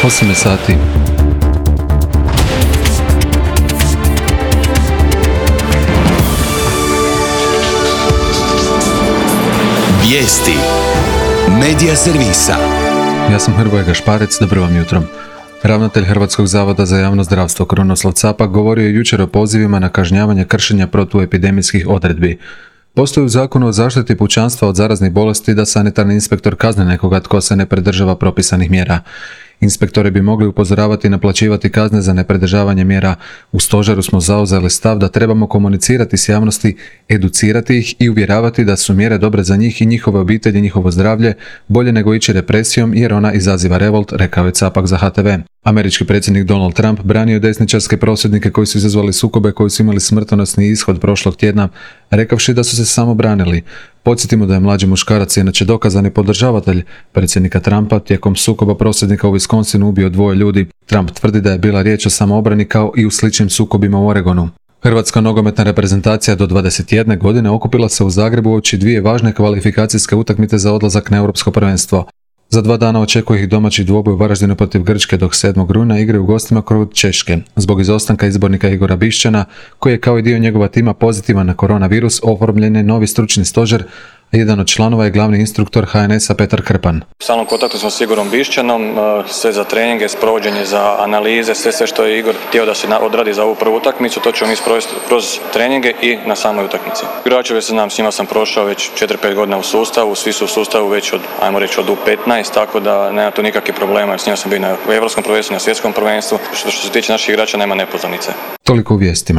8 sati. Vijesti Medija servisa. Ja sam Hrvoje Gašparec, dobro vam jutro. Ravnatelj Hrvatskog zavoda za javno zdravstvo Krunoslav Capak govorio je jučer o pozivima na kažnjavanje kršenja protuepidemijskih odredbi. Postoji u Zakonu o zaštiti pučanstva od zaraznih bolesti da sanitarni inspektor kazni nekoga tko se ne pridržava propisanih mjera. Inspektori bi mogli upozoravati i naplaćivati kazne za nepridržavanje mjera. U stožeru smo zauzeli stav da trebamo komunicirati s javnosti, educirati ih i uvjeravati da su mjere dobre za njih i njihove obitelji i njihovo zdravlje, bolje nego ići represijom jer ona izaziva revolt, rekao je Capak za HTV. Američki predsjednik Donald Trump branio desničarske prosvjednike koji su izazvali sukobe koji su imali smrtonosni ishod prošlog tjedna, rekavši da su se samo branili. Podsjetimo da je mlađi muškarac, inače dokazani podržavatelj predsjednika Trumpa, tijekom sukoba prosvjednika u Wisconsinu ubio 2 ljudi. Trump tvrdi da je bila riječ o samoobrani kao i u sličnim sukobima u Oregonu. Hrvatska nogometna reprezentacija do 21 godine okupila se u Zagrebu uoči 2 važne kvalifikacijske utakmice za odlazak na Europsko prvenstvo. Za 2 dana očekuje ih domaći dvoboj u Varaždinu protiv Grčke, dok 7. rujna igraju u gostima kod Češke. Zbog izostanka izbornika Igora Bišćana, koji je kao i dio njegova tima pozitivan na koronavirus, oformljen je novi stručni stožer, a jedan od članova je glavni instruktor HNS-a Petar Krpan. U stalnom kontaktu smo s Igorom Bišćanom, sve za treninge, sprovođenje za analize, sve što je Igor htio da se odradi za ovu prvu utakmicu, to ćemo mi sprovesti kroz treninge i na samoj utakmici. Igračeve se znam, s njima sam prošao već 4-5 godina u sustavu, svi su u sustavu već od U15, tako da nema tu nikakvih problema, s njima sam bio na Europskom prvenstvu, na Svjetskom prvenstvu. Što se tiče naših igrača nema nepoznanice. Toliko u vijestima.